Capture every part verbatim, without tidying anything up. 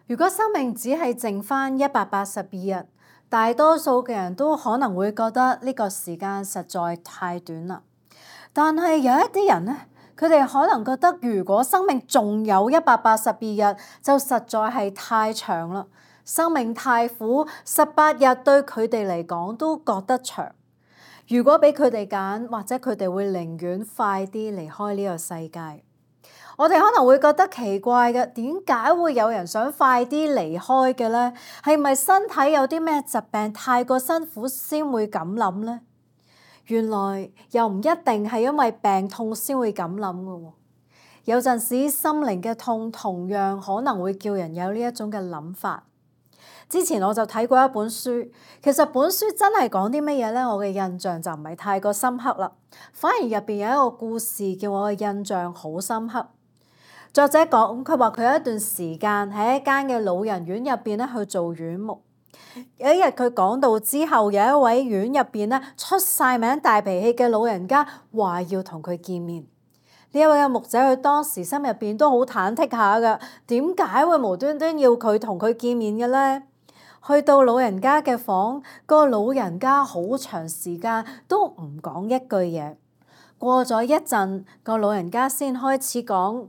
如果生命只係剩返一百八十二日，大多數嘅人都可能會覺得呢個時間實在太短啦。但係有一啲人呢，佢哋可能覺得如果生命仲有一百八十二日，就實在係太長啦。生命太苦，十八日對佢哋嚟講都覺得長。如果俾佢哋揀，或者佢哋會寧願快啲離開呢個世界。我哋可能會覺得奇怪嘅，點解會有人想快啲離開嘅呢？係咪身體有啲咩疾病太過辛苦先會咁諗呢？原來又唔一定係因為病痛先會咁諗嘅喎。有陣時心靈嘅痛同樣可能會叫人有呢一種嘅諗法。之前我就睇過一本書，其實本書真係講啲乜嘢呢？我嘅印象就唔係太過深刻啦，反而入邊有一個故事叫我嘅印象好深刻。作者講，佢話佢有一段時間喺一間嘅老人院入邊咧去做院牧。有一日佢講到之後，有一位院入邊咧出晒名大脾氣嘅老人家話要同佢見面。呢一位嘅牧者佢當時心入邊都好忐忑下㗎，點解會無端端要佢同佢見面嘅咧？去到老人家嘅房，個老人家好長時間都唔講一句嘢。過咗一陣，個老人家先開始講。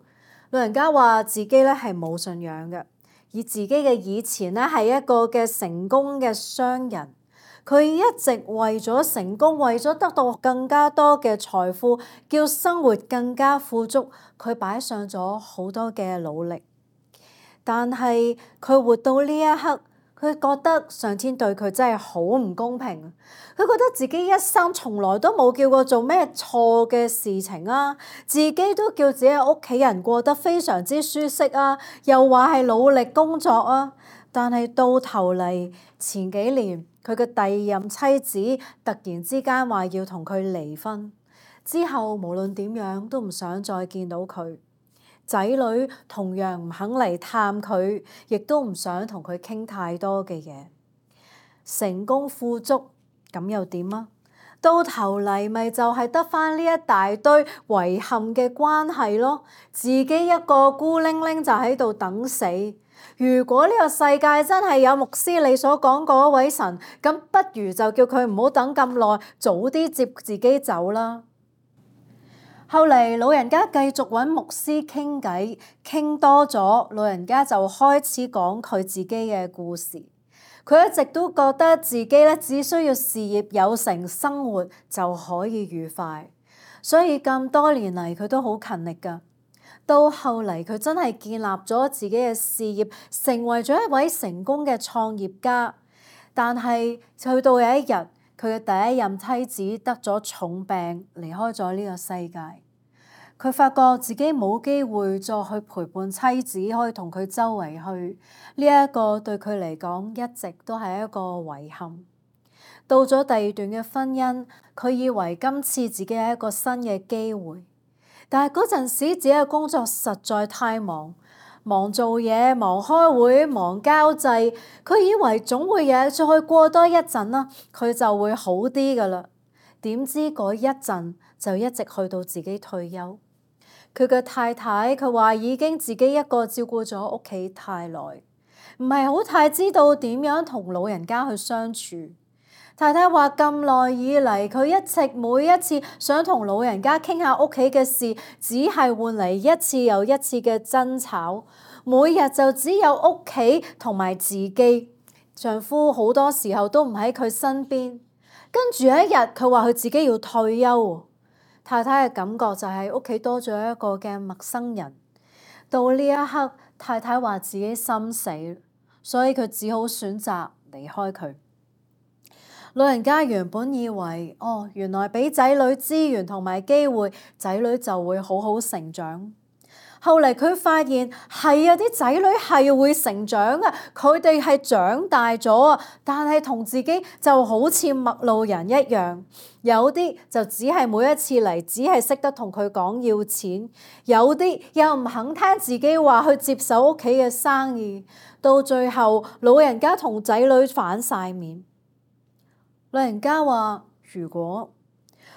老人家話自己咧係冇信仰嘅，而自己嘅以前咧係一個嘅成功嘅商人，佢一直為咗成功，為咗得到更加多嘅財富，叫生活更加富足，佢擺上咗好多嘅努力。但係佢活到呢一刻，佢覺得上天對佢真係好唔公平。佢覺得自己一生從來都冇叫過做咩錯嘅事情啊，自己都叫自己屋企人過得非常之舒適啊，又話係努力工作啊。但係到頭嚟前幾年，佢嘅第二任妻子突然之間話要同佢離婚，之後無論點樣都唔想再見到佢。仔女同樣唔肯嚟探佢，亦都唔想同佢傾太多嘅嘢。成功富足咁又點啊？到頭嚟咪就係得返呢一大堆遺憾嘅關係咯。自己一個孤零零就喺度等死。如果呢個世界真係有牧師你所講嗰位神，咁不如就叫佢唔好等咁耐，早啲接自己走啦。後嚟老人家繼續揾牧師傾偈，傾多咗，老人家就開始講佢自己嘅故事。佢一直都覺得自己咧只需要事業有成，生活就可以愉快，所以咁多年嚟佢都好勤力㗎。到後嚟佢真係建立咗自己嘅事業，成為咗一位成功嘅創業家。但係去到有一日，佢嘅第一任妻子得咗重病，離開咗呢個世界。佢發覺自己冇機會再去陪伴妻子，可以同佢周圍去。呢一個對佢嚟講一直都係一個遺憾。到咗第二段嘅婚姻，佢以為今次自己係一個新嘅機會，但係嗰陣時自己嘅工作實在太忙，忙做嘢，忙開會，忙交際。佢以為總會有再過多一陣啦，佢就會好啲㗎喇。點知嗰一陣就一直去到自己退休。佢嘅太太佢話已經自己一個照顧咗屋企太耐，唔係好太知道點樣同老人家去相處。太太話咁耐以嚟，佢一直每一次想同老人家傾下屋企嘅事，只係換嚟一次又一次嘅爭吵。每日就只有屋企同埋自己，丈夫好多時候都唔喺佢身邊。跟住有一日，佢話佢自己要退休。太太嘅感覺就係屋企多咗一個嘅陌生人。到呢一刻，太太話自己心死，所以佢只好選擇離開佢。老人家原本以為，哦，原來俾仔女資源同埋機會，仔女就會好好成長。後嚟佢發現係啊，啲仔女係會成長啊，佢哋係長大咗啊，但係同自己就好似陌路人一樣。有啲就只係每一次嚟，只係識得同佢講要錢；有啲又唔肯聽自己話去接手屋企嘅生意。到最後，老人家同仔女反晒面。老人家話：如果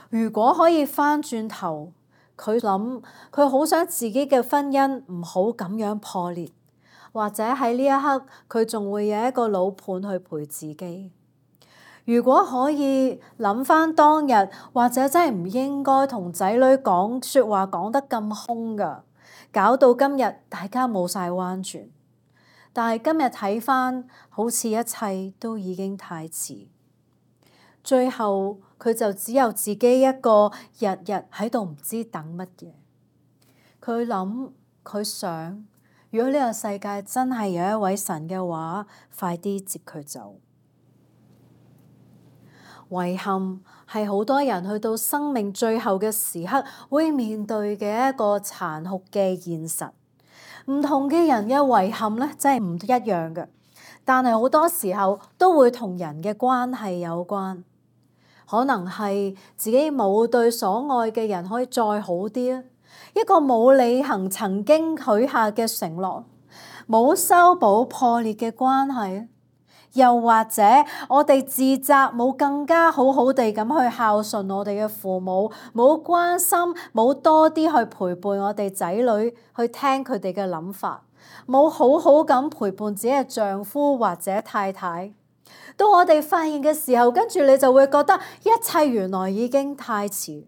如果可以返轉頭。佢諗，佢好想自己嘅婚姻唔好咁樣破裂，或者喺呢一刻佢仲會有一個老伴去陪自己。如果可以諗翻當日，或者真係唔應該同仔女講説話講得咁兇㗎，搞到今日大家冇晒彎轉。但係今日睇翻，好似一切都已經太遲。最後佢就只有自己一個日日喺度唔知等乜嘢。佢諗佢想，如果呢個世界真係有一位神嘅話，快啲接佢走。遺憾係好多人去到生命最後嘅時刻會面對嘅一個殘酷嘅現實。唔同嘅人嘅遺憾咧，真係唔一樣嘅，但係好多時候都會同人嘅關係有關。可能係自己冇對所愛嘅人可以再好啲啊，一個冇履行曾經許下嘅承諾，冇修補破裂嘅關係。又或者我哋自責冇更加好好地咁去孝順我哋嘅父母，冇關心，冇多啲去陪伴我哋仔女，去聽佢哋嘅諗法，冇好好咁陪伴自己嘅丈夫或者太太。到我哋發現嘅時候，跟住你就會覺得一切原來已經太遲。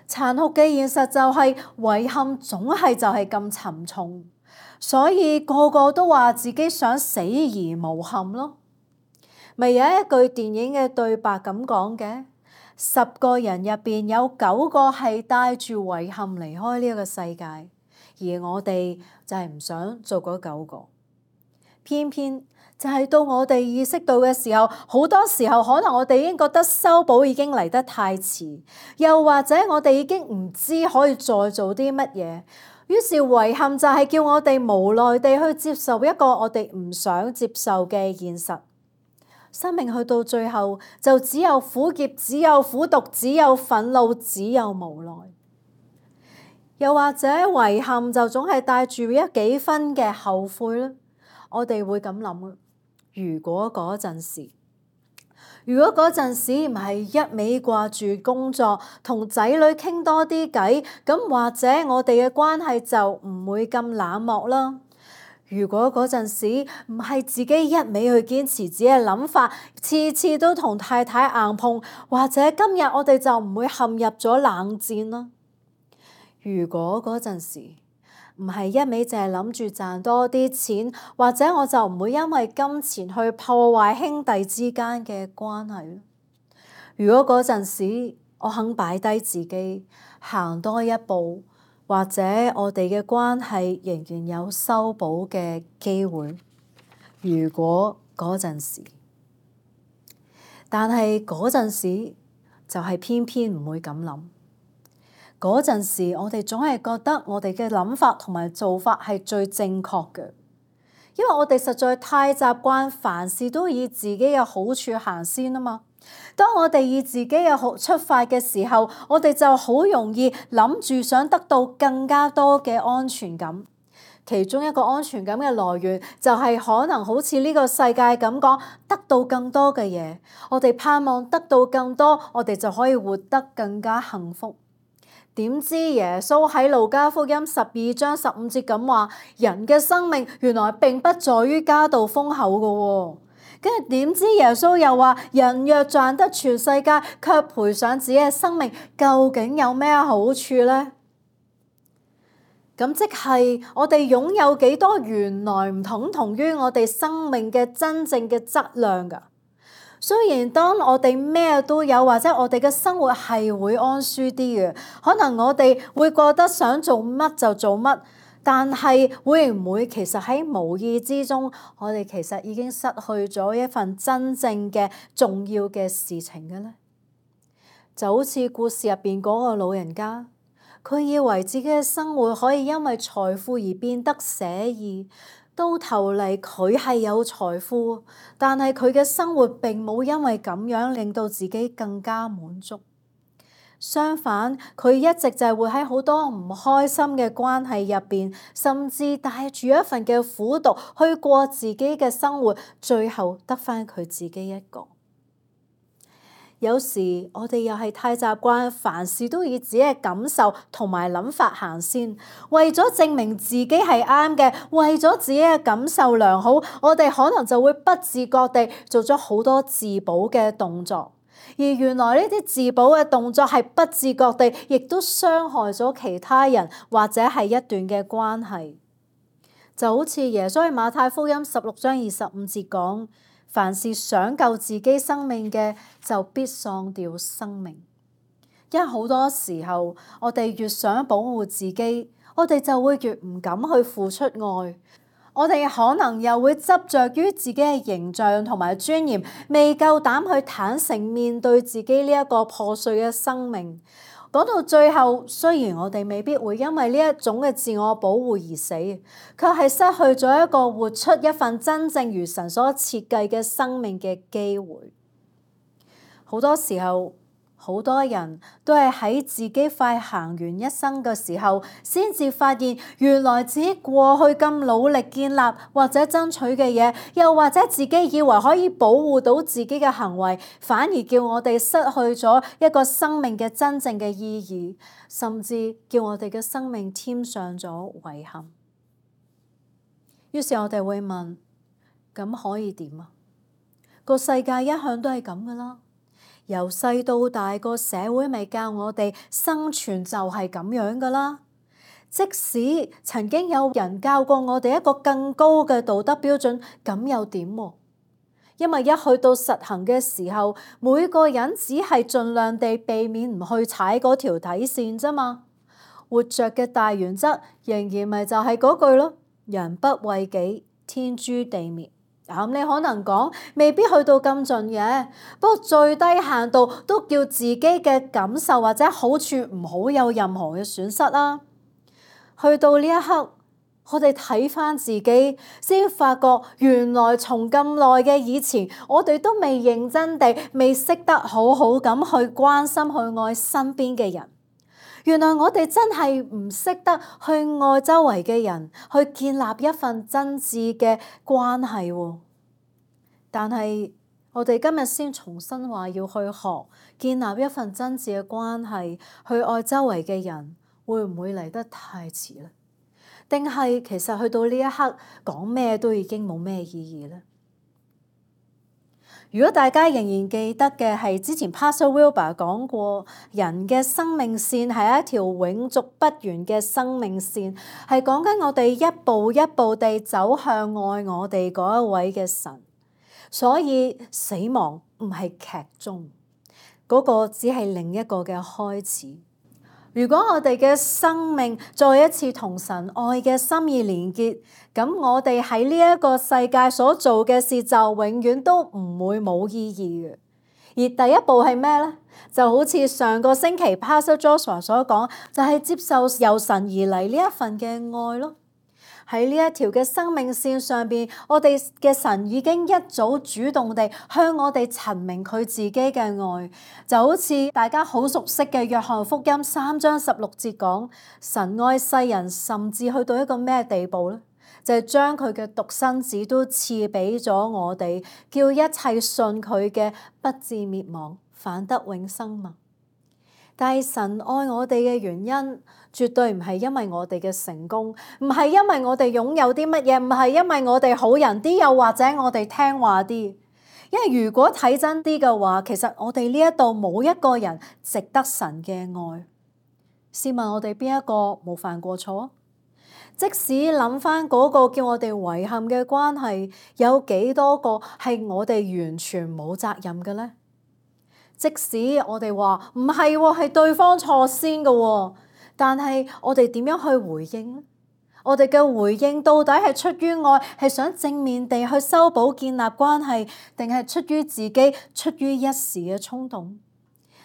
殘酷嘅現實就係遺憾總係就係咁沉重。所以個個都話自己想死而無憾咯。咪有一句電影嘅對白咁講嘅，十個人入邊有九個係帶住遺憾離開呢一個世界，而我哋就係唔想做嗰九個。偏偏就係到我哋意識到嘅時候，好多時候可能我哋已經覺得修補已經嚟得太遲，又或者我哋已經唔知可以再做啲乜嘢。於是遺憾就係叫我哋無奈地去接受一個我哋唔想接受嘅現實。生命去到最後就只有苦澀，只有苦毒，只有憤怒，只有無奈。又或者遺憾就總係帶住一幾分嘅後悔咧。我哋會咁諗，如果嗰陣時。如果嗰陣時唔係一味掛住工作，同仔女傾多啲偈，咁或者我哋嘅關係就唔會咁冷漠啦。如果嗰陣時唔係自己一味去堅持自己嘅諗法，次次都同太太硬碰，或者今日我哋就唔會陷入咗冷戰啦。如果嗰陣時唔係一味淨係諗住賺多啲錢，或者我就唔會因為金錢去破壞兄弟之間嘅關係。如果嗰陣時我肯擺低自己，行多一步，或者我哋嘅關係仍然有修補嘅機會。如果嗰陣時，但係嗰陣時就係偏偏唔會咁諗。嗰陣時，我哋總係覺得我哋嘅諗法同埋做法係最正確嘅，因為我哋實在太習慣凡事都以自己嘅好處行先啊嘛。當我哋以自己嘅好出發嘅時候，我哋就好容易諗住想得到更加多嘅安全感。其中一個安全感嘅來源就係可能好似呢個世界咁講，得到更多嘅嘢。我哋盼望得到更多，我哋就可以活得更加幸福。點知耶穌喺路加福音十二章十五節咁話，人嘅生命原來並不在於家道豐厚嘅喎。跟住點知耶穌又話，人若賺得全世界，卻賠上自己嘅生命，究竟有咩好處呢？咁即係我哋擁有幾多，原來唔等同於我哋生命嘅真正嘅質量㗎。雖然當我哋咩都有，或者我哋嘅生活係會安舒啲嘅，可能我哋會覺得想做乜就做乜，但係會唔會其實喺無意之中，我哋其實已經失去咗一份真正嘅重要嘅事情嘅呢？就好似故事入邊嗰個老人家，佢以為自己嘅生活可以因為財富而變得寫意。到頭嚟佢係有財富，但係佢嘅生活並冇因為咁樣令到自己更加滿足。相反，佢一直就係會喺好多唔開心嘅關係入邊，甚至帶住一份嘅苦毒去過自己嘅生活，最後得返佢自己一個。有時我哋又係太習慣凡事都以自己嘅感受同埋諗法行先，為咗證明自己係啱嘅，為咗自己嘅感受良好，我哋可能就會不自覺地做咗好多自保嘅動作。而原來呢啲自保嘅動作係不自覺地，亦都傷害咗其他人或者係一段嘅關係。就好似耶穌喺馬太福音十六章二十五節講：凡是想救自己生命嘅，就必喪掉生命。因為好多時候，我哋越想保護自己，我哋就會越唔敢去付出愛。我哋可能又會執着於自己嘅形象同埋尊嚴，未夠膽去坦誠面對自己呢一個破碎嘅生命。講到最後，雖然我哋未必會因為呢一種嘅自我保護而死，卻係失去咗一個活出一份真正如神所設計嘅生命嘅機會。好多時候，好多人都係喺自己快行完一生嘅時候，先至發現原來自己過去咁努力建立或者爭取嘅嘢，又或者自己以為可以保護到自己嘅行為，反而叫我哋失去咗一個生命嘅真正嘅意義，甚至叫我哋嘅生命添上咗遺憾。於是我哋會問：咁可以點啊？個世界一向都係咁噶啦。由細到大，個社會咪教我哋生存就係咁樣噶啦。即使曾經有人教過我哋一個更高嘅道德標準，咁又點？因為一去到實行嘅時候，每個人只係盡量地避免唔去踩嗰條底線啫嘛。活着嘅大原則仍然咪就係嗰句咯：人不為己，天誅地滅。咁你可能講未必去到咁盡嘅，不過最低限度都叫自己嘅感受或者好處唔好有任何嘅損失啦。去到呢一刻，我哋睇翻自己，先發覺原來從咁耐嘅以前，我哋都未認真地、未識得好好咁去關心、去愛身邊嘅人。原來我哋真係唔識得去愛周圍嘅人，去建立一份真摯嘅關係喎。但係我哋今日先重新話要去學建立一份真摯嘅關係，去愛周圍嘅人，會唔會嚟得太遲呢？定係其實去到呢一刻講咩都已經冇咩意義呢？如果大家仍然記得嘅係之前 Pastor Wilbur 講過，人嘅生命線係一條永續不完嘅生命線，係講緊我哋一步一步地走向愛我哋嗰一位嘅神。所以死亡唔係劇終，嗰個只係另一個嘅開始。如果我哋嘅生命再一次同神愛嘅心意連結，咁我哋喺呢一個世界所做嘅事就永遠都唔會冇意義嘅。而第一步係咩呢？就好似上個星期 Pastor Joshua 所講，就係接受由神而嚟呢一份嘅愛咯。喺呢一條嘅生命線上邊，我哋嘅神已經一早主動地向我哋陳明佢自己嘅愛，就好似大家好熟悉嘅約翰福音三章十六節講，神愛世人甚至去到一個咩地步呢？就係將佢嘅獨生子都賜俾咗我哋，叫一切信佢嘅不至滅亡，反得永生嘛。但係神愛我哋嘅原因，絕對唔係因為我哋嘅成功，唔係因為我哋擁有啲乜嘢，唔係因為我哋好人啲，又或者我哋聽話啲。因為如果睇真啲嘅話，其實我哋呢一度冇一個人值得神嘅愛。試問我哋邊一個冇犯過錯？即使諗翻嗰個叫我哋遺憾嘅關係，有幾多個係我哋完全冇責任嘅呢？即使我哋話唔係喎，係對方錯先嘅喎，但係我哋點樣去回應呢？我哋嘅回應到底係出於愛，係想正面地去修補建立關係，定係出於自己，出於一時嘅衝動？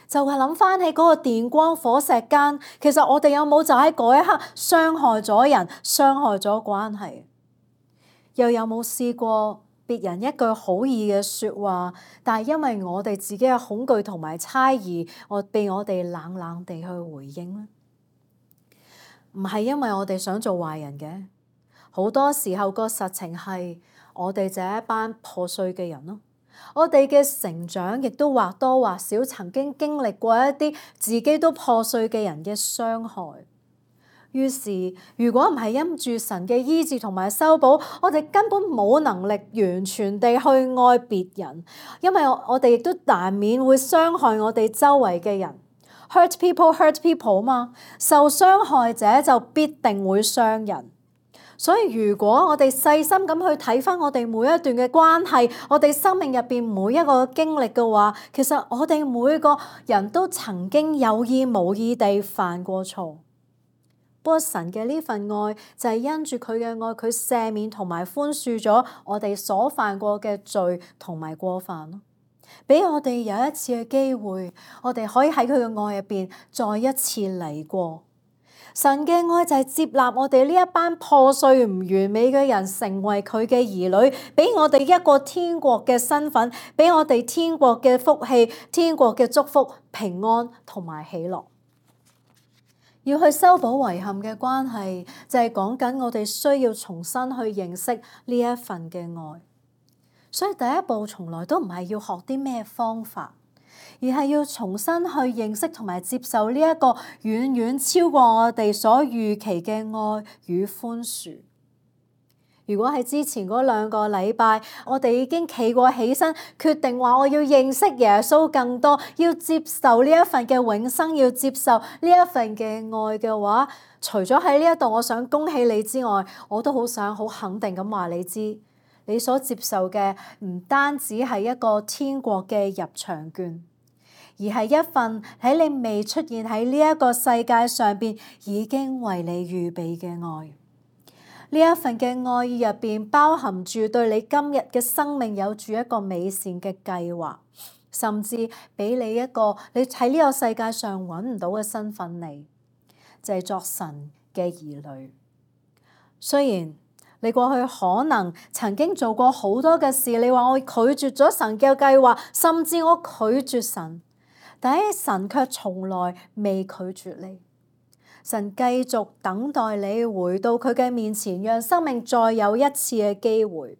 就係諗翻起嗰個電光火石間，其實我哋有冇就喺嗰一刻傷害咗人，傷害咗關係？又有冇試過別人一句好意嘅説話，但係因為我哋自己嘅恐懼同埋猜疑，我被我哋冷冷地去回應呢？唔係因為我哋想做壞人嘅，好多時候個實情係我哋就係一班破碎嘅人咯。我哋嘅成長亦都或多或少曾經經歷過一啲自己都破碎嘅人嘅傷害。於是，如果唔係因住神嘅醫治同埋修補，我哋根本冇能力完全地去愛別人，因為我哋亦都難免會傷害我哋周圍嘅人。Hurt people, hurt people 嘛，受傷害者就必定會傷人。所以如果我哋細心咁去睇返我哋每一段嘅關係，我哋生命入邊每一個經歷嘅話，其實我哋每個人都曾經有意無意地犯過錯。不過神嘅呢份愛就係因住佢嘅愛，佢赦免同埋寬恕咗我哋所犯過嘅罪同埋過犯咯，俾我哋有一次嘅機會，我哋可以喺佢嘅愛入邊再一次嚟過。神嘅愛就係接納我哋呢一班破碎唔完美嘅人成為佢嘅兒女，俾我哋一個天國嘅身份，俾我哋天國嘅福氣、天國嘅祝福、平安同埋喜樂。要去修補遺憾嘅關係，就係講緊我哋需要重新去認識呢一份嘅愛。所以第一步從來都唔係要學啲咩方法，而係要重新去認識同埋接受呢一個遠遠超過我哋所預期嘅愛與寬恕。如果喺之前嗰兩個禮拜，我哋已經企過起身，決定話我要認識耶穌更多，要接受呢一份嘅永生，要接受呢一份嘅愛嘅話，除咗喺呢一度我想恭喜你之外，我都好想好肯定咁話你知，你所接受嘅唔單止係一個天國嘅入場券，而係一份喺你未出現喺呢一個世界上邊已經為你預備嘅愛。呢一份嘅愛意入邊包含住對你今日嘅生命有住一個美善嘅計劃，甚至俾你一個你喺呢個世界上揾唔到嘅身份嚟，就係作神嘅兒女。雖然你過去可能曾經做過好多嘅事，你話我拒絕咗神嘅計劃，甚至我拒絕神，但係神卻從來未拒絕你。神繼續等待你回到佢嘅面前，讓生命再有一次嘅機會。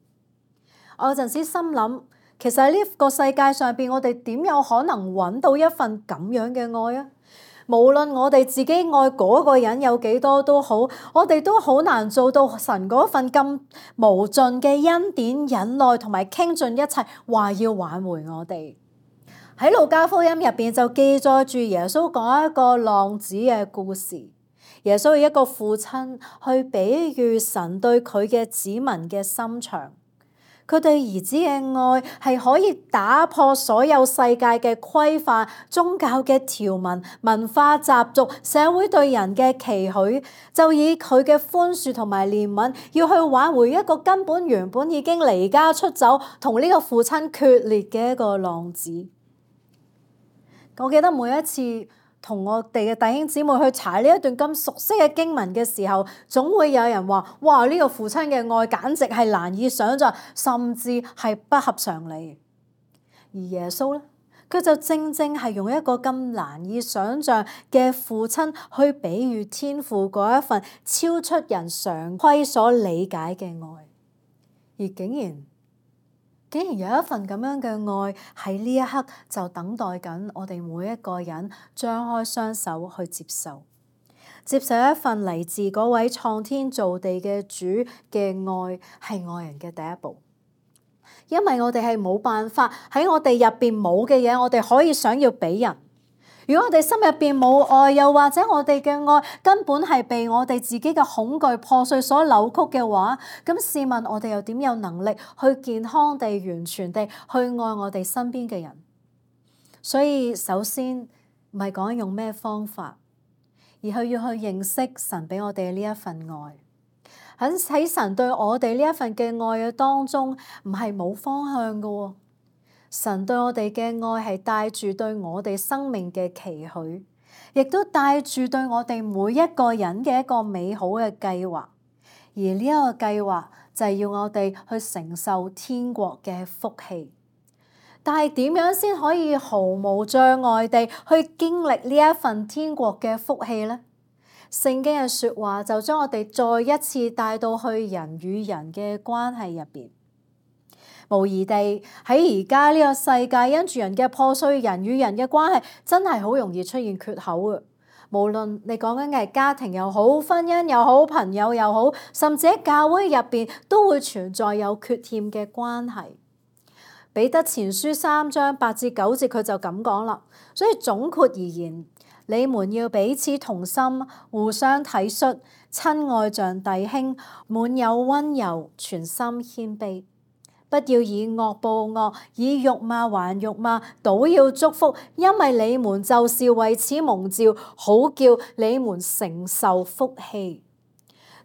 我有陣時心諗，其實喺呢個世界上邊，我哋點有可能揾到一份咁樣嘅愛啊？無論我哋自己愛嗰個人有幾多都好，我哋都好難做到神嗰份咁無盡嘅恩典、忍耐同埋傾盡一切，話要挽回我哋。喺路加福音入邊就記載住耶穌講一個浪子嘅故事。耶穌係一個父親去比喻神對佢嘅子民嘅心腸，佢對兒子嘅愛係可以打破所有世界嘅規範、宗教嘅條文、文化習俗、社會對人嘅期許，就以佢嘅寬恕同埋憐憫，要去挽回一個根本原本已經離家出走、同呢個父親決裂嘅一個浪子。我記得每一次同我哋嘅弟兄姊妹去查呢一段咁熟悉嘅經文嘅時候，總會有人話：哇！呢個父親嘅愛簡直係難以想像，甚至係不合常理。而耶穌咧，佢就正正係用一個咁難以想像嘅父親去比喻天父嗰一份超出人常規所理解嘅愛，而竟然竟然有一份咁樣嘅愛喺呢一刻就等待緊我哋每一個人張開雙手去接受，接受一份嚟自嗰位創天造地嘅主嘅愛，係愛人嘅第一步。因為我哋係冇辦法喺我哋入邊冇嘅嘢，我哋可以想要俾人。如果我哋心入邊冇愛，又或者我哋嘅愛根本係被我哋自己嘅恐懼破碎所扭曲嘅話，咁試問我哋又點有能力去健康地、完全地去愛我哋身邊嘅人？所以首先唔係講用咩方法，而係要去認識神俾我哋呢一份愛。喺喺神對我哋呢一份嘅愛嘅當中，唔係冇方向嘅喎。神對我哋嘅愛係帶住對我哋生命嘅期許，亦都帶住對我哋每一個人嘅一個美好嘅計劃。而呢一個計劃就係要我哋去承受天國嘅福氣。但係點樣先可以毫無障礙地去經歷呢一份天國嘅福氣呢？聖經嘅説話就將我哋再一次帶到去人與人嘅關係入邊。無疑地喺而家呢個世界，因住人嘅破碎，人與人嘅關係真係好容易出現缺口嘅。無論你講緊嘅係家庭又好，婚姻又好，朋友又好，甚至喺教會入邊都會存在有缺欠嘅關係。彼得前書三章八至九節佢就咁講啦。所以總括而言，你們要彼此同心，互相體恤，親愛像弟兄，滿有溫柔，全心謙卑。不要以惡報惡，以辱罵還辱罵，倒要祝福，因為你們就是為此蒙召，好叫你們承受福氣。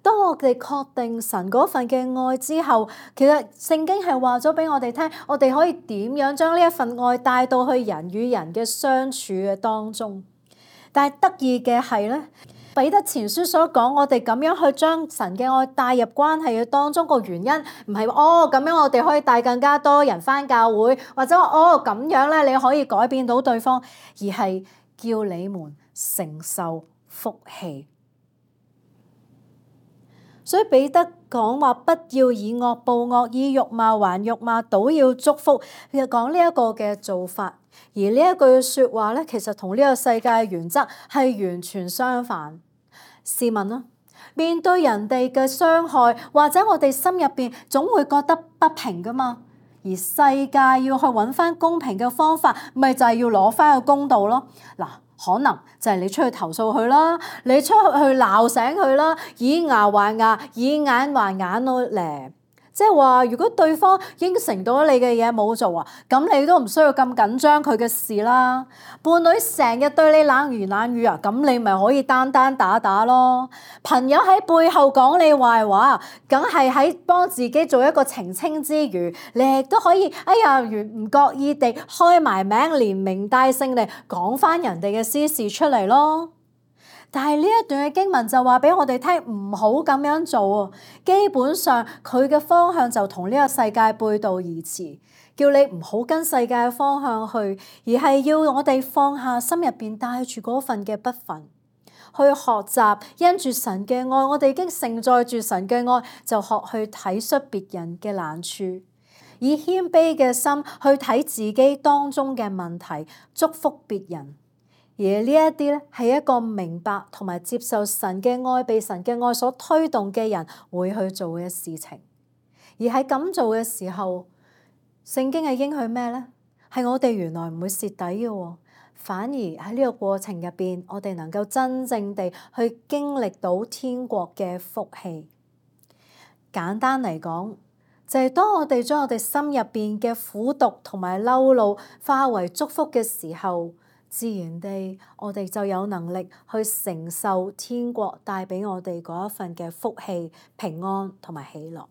當我哋確定神嗰份嘅愛之後，其實聖經係話咗俾我哋聽，我哋可以點樣將呢一份愛帶到去人與人嘅相處嘅當中。但係得意嘅係咧，彼得前書所講，我哋咁樣去將神嘅愛帶入關係嘅當中，個原因唔係哦咁樣我哋可以帶更加多人返教會，或者哦咁樣咧你可以改變到對方，而係叫你們承受福氣。所以彼得講話，不要以惡報惡，以辱罵還辱罵，倒要祝福。佢就講呢一個嘅做法，而呢一句説話咧，其實同呢個世界嘅原則係完全相反。試問啦，面對人哋嘅傷害，或者我哋心入邊總會覺得不平噶嘛，而世界要去揾翻公平嘅方法，咪就係要攞翻個公道咯。嗱，可能就係你出去投訴佢啦，你出去去鬧醒佢啦，以牙還牙，以眼還眼咯咧。即係話，如果對方應承到你嘅嘢冇做啊，咁你都唔需要咁緊張佢嘅事啦。伴侶成日對你冷言冷語啊，咁你咪可以單單打打咯。朋友喺背後講你壞話，梗係喺幫自己做一個澄清之餘，你亦都可以哎呀唔覺意地開埋名，連名帶姓地講翻人哋嘅私事出嚟咯。但係呢一段嘅經文就話俾我哋聽，唔好咁樣做啊！基本上佢嘅方向就同呢個世界背道而馳，叫你唔好跟世界嘅方向去，而係要我哋放下心入邊帶住嗰份嘅不忿，去學習因住神嘅愛，我哋已經承載住神嘅愛，就學去體恤別人嘅難處，以謙卑嘅心去睇自己當中嘅問題，祝福別人。而呢一啲咧係一個明白同埋接受神嘅愛，被神嘅愛所推動嘅人會去做嘅事情。而喺咁做嘅時候，聖經係應許咩咧？係我哋原來唔會蝕底嘅，反而喺呢個過程入邊，我哋能夠真正地去經歷到天國嘅福氣。簡單嚟講，就係當我哋將我哋心入邊嘅苦毒同埋嬲怒化為祝福嘅時候，自然地，我哋就有能力去承受天國帶俾我哋嗰一份嘅福氣、平安同埋喜樂。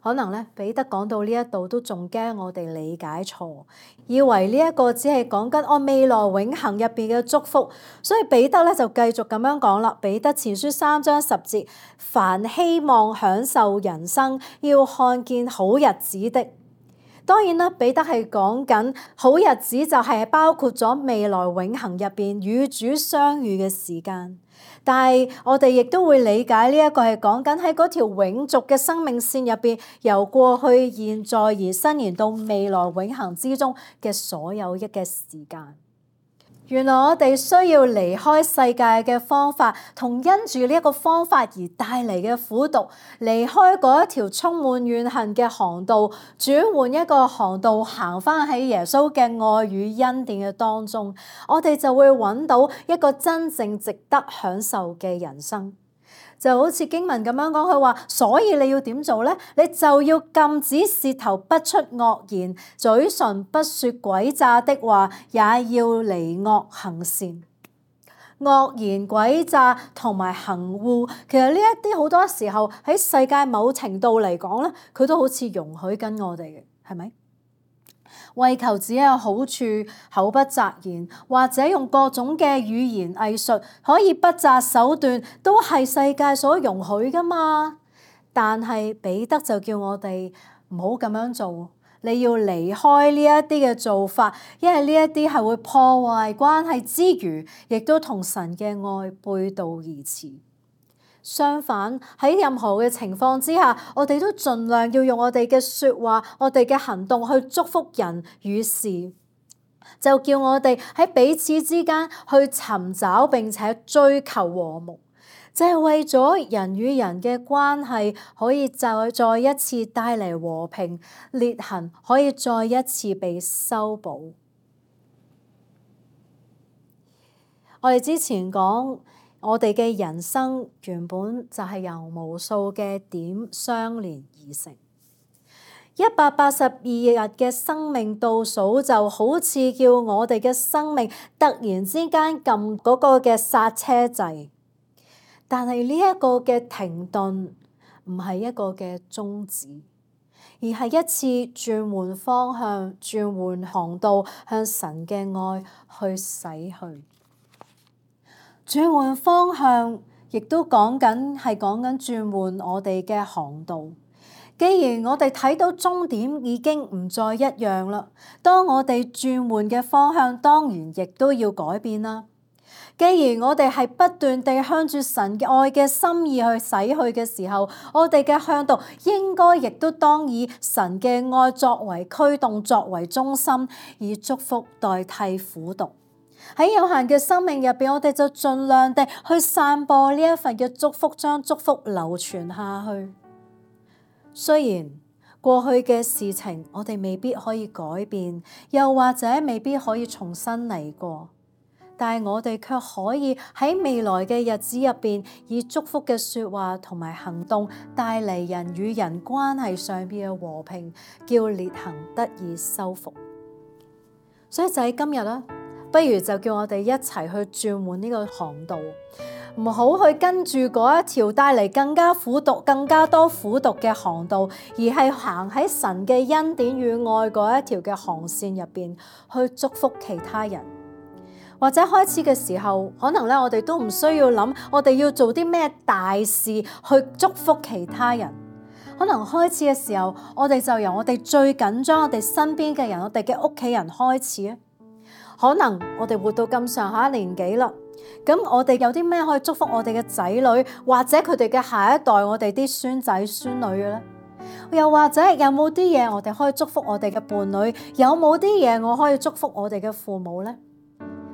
可能咧，彼得講到呢一度都仲驚我哋理解錯，以為呢一個只係講緊我未來永恆入邊嘅祝福，所以彼得咧就繼續咁樣講啦。彼得前書三章十節，凡希望享受人生，要看見好日子的。當然啦，彼得係講緊好日子，就係包括咗未來永恆入邊與主相遇嘅時間。但係我哋亦都會理解呢一個係講緊喺嗰條永續嘅生命線入邊，由過去、現在而伸延到未來永恆之中嘅所有一嘅時間。原來我哋需要離開世界嘅方法，同因住呢一個方法而帶嚟嘅苦毒，離開嗰一條充滿怨恨嘅航道，轉換一個航道，行返喺耶穌嘅愛與恩典嘅當中，我哋就會揾到一個真正值得享受嘅人生。就好似經文咁樣講，佢話，所以你要點做咧？你就要禁止舌頭不出惡言，嘴唇不說詭詐的話，也要離惡行善。惡言、詭詐同埋行惡，其實呢一啲好多時候喺世界某程度嚟講咧，佢都好似容許緊我哋嘅，係咪？為求自己有好處，口不擇言，或者用各種嘅語言藝術，可以不擇手段，都係世界所容許噶嘛。但係彼得就叫我哋唔好咁樣做，你要離開呢一啲嘅做法，因為呢一啲係會破壞關係之餘，亦都同神嘅愛背道而馳。相反，喺任何嘅情況之下，我哋都盡量要用我哋嘅說話、我哋嘅行動去祝福人與事，就叫我哋喺彼此之間去尋找並且追求和睦，就係為咗人與人嘅關係可以再再一次帶嚟和平，裂痕可以再一次被修補。我哋之前講，我哋嘅人生原本就係由無數嘅點相連而成。一百八十二日嘅生命倒數就好似叫我哋嘅生命突然之間撳嗰個嘅剎車掣，但係呢一個嘅停頓唔係一個嘅終止，而係一次轉換方向、轉換航道，向神嘅愛去駛去。轉換方向，亦都講緊係講緊轉換我哋嘅航道。既然我哋睇到終點已經唔再一樣啦，當我哋轉換嘅方向，當然亦都要改變啦。既然我哋係不斷地向住神嘅愛嘅心意去駛去嘅時候，我哋嘅向導應該亦都當以神嘅愛作為驅動、作為中心，以祝福代替苦毒。喺有限嘅生命入邊，我哋就盡量地去散播呢一份嘅祝福，將祝福流傳下去。雖然過去嘅事情我哋未必可以改變，又或者未必可以重新嚟過，但係我哋卻可以喺未來嘅日子入邊，以祝福嘅說話同埋行動，帶嚟人與人關係上邊嘅和平，叫裂痕得以修復。所以就喺今日啦，不如就叫我哋一齊去轉換呢個航道，唔好去跟住嗰一條帶嚟更加苦毒、更加多苦毒嘅航道，而係行喺神嘅恩典與愛嗰一條嘅航線入邊去祝福其他人。或者開始嘅時候，可能咧我哋都唔需要諗，我哋要做啲咩大事去祝福其他人。可能開始嘅時候，我哋就由我哋最緊張、我哋身邊嘅人、我哋嘅屋企人開始啊。可能我哋活到咁上下年紀啦，咁我哋有啲咩可以祝福我哋嘅仔女，或者佢哋嘅下一代，我哋啲孫仔孫女嘅咧？又或者有冇啲嘢我哋可以祝福我哋嘅伴侶？有冇啲嘢我可以祝福我哋嘅父母咧？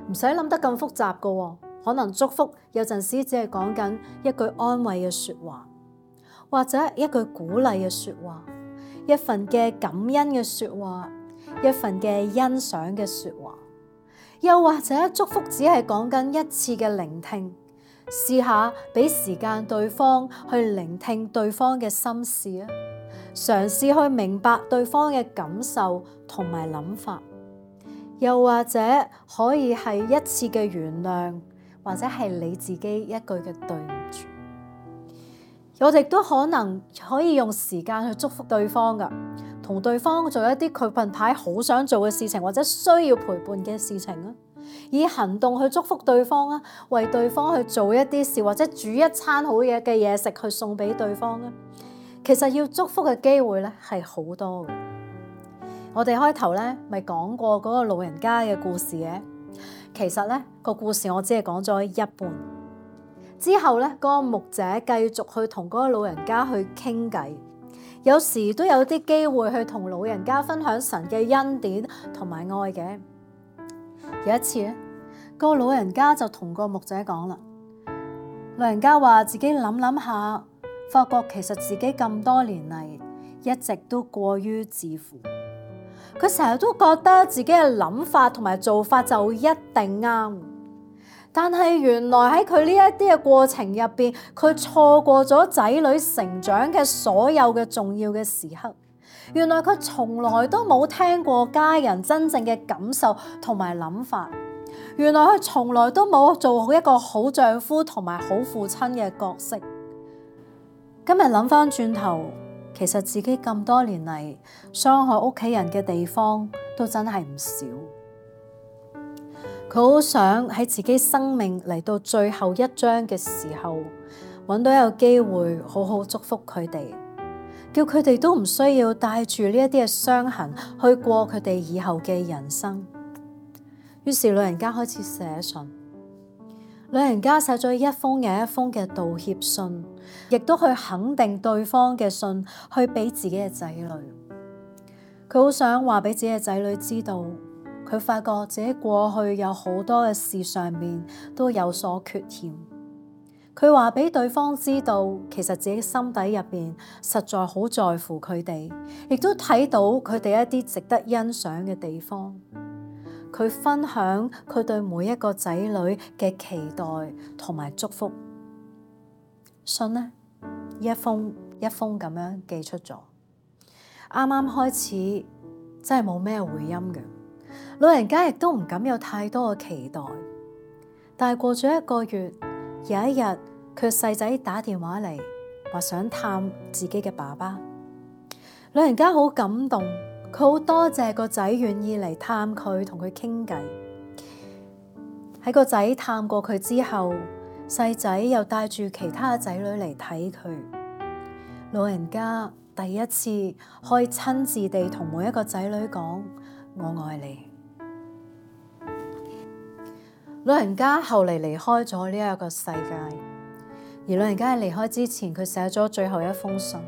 唔使諗得咁複雜噶喎，可能祝福有陣時只係講緊一句安慰嘅說話，或者一句鼓勵嘅說話，一份嘅感恩嘅說話，一份嘅欣賞嘅說話。又或者祝福只係講緊一次嘅聆聽，試下俾時間對方去聆聽對方嘅心事啊，嘗試去明白對方嘅感受同埋諗法。又或者可以係一次嘅原諒，或者係你自己一句嘅對唔住。我哋都可能可以用時間去祝福對方噶，同對方做一啲佢近排好想做嘅事情，或者需要陪伴嘅事情啊，以行動去祝福對方啊，為對方去做一啲事，或者煮一餐好嘢嘅嘢食去送俾對方啊。其實要祝福嘅機會咧係好多嘅。我哋開頭咧咪講過嗰個老人家嘅故事嘅，其實咧個故事我只係講咗一半。之後咧嗰個牧者繼續去同嗰個老人家去傾偈，有時都有啲機會去同老人家分享神嘅恩典同埋愛嘅。有一次咧，個老人家就同個牧者講啦，老人家話自己諗諗下，發覺其實自己咁多年嚟一直都過於自負。佢成日都覺得自己嘅諗法同埋做法就一定啱，但係原來喺佢呢一啲嘅過程入邊，佢錯過咗仔女成長嘅所有嘅重要嘅時刻。原來佢從來都冇聽過家人真正嘅感受同埋諗法。原來佢從來都冇做好一個好丈夫同埋好父親嘅角色。今日諗翻轉頭，其實自己咁多年嚟傷害屋企人嘅地方都真係唔少。佢好想喺自己生命嚟到最後一章嘅時候，揾到有機會好好祝福佢哋，叫佢哋都唔需要帶住呢一啲嘅傷痕去過佢哋以後嘅人生。於是老人家開始寫信，老人家寫咗一封又一封嘅道歉信，亦都去肯定對方嘅信，去俾自己嘅仔女。佢好想話俾自己嘅仔女知道，佢發覺自己過去有好多嘅事上面都有所缺陷。佢話俾對方知道，其實自己心底入邊實在好在乎佢哋，亦都睇到佢哋一啲值得欣賞嘅地方。佢分享佢對每一個仔女嘅期待同埋祝福。信呢，一封一封咁樣寄出咗。啱啱開始真係冇咩回音嘅，老人家亦都唔敢有太多嘅期待。但係過咗一個月，有一日佢細仔打電話嚟，話想探自己嘅爸爸。老人家好感動，佢好多謝個仔願意嚟探佢，同佢傾偈。喺個仔探過佢之後，細仔又帶住其他仔女嚟睇佢。老人家第一次可以親自地同每一個仔女講：我愛你。老人家後嚟離開咗呢一個世界，而老人家喺離開之前，佢寫咗最後一封信。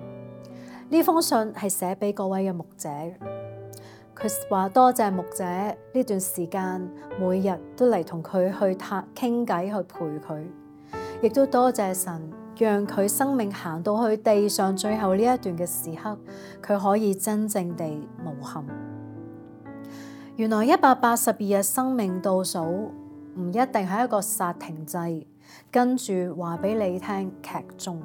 呢封信係寫俾各位嘅牧者。佢話多謝牧者呢段時間每日都嚟同佢去談傾偈，去陪佢，亦都多謝神讓佢生命行到去地上最後呢一段嘅時刻，佢可以真正地無憾。原來一百八十二日生命倒數唔一定係一個剎停掣，跟住話俾你聽劇終。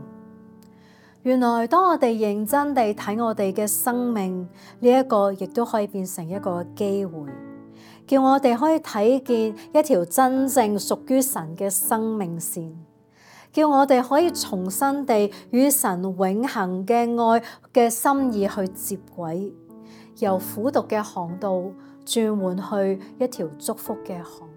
原來當我哋認真地睇我哋嘅生命，呢一個亦都可以變成一個機會，叫我哋可以睇見一條真正屬於神嘅生命線，叫我哋可以重新地與神永恆嘅愛嘅心意去接軌，由苦毒嘅航道轉換去一條祝福嘅航道。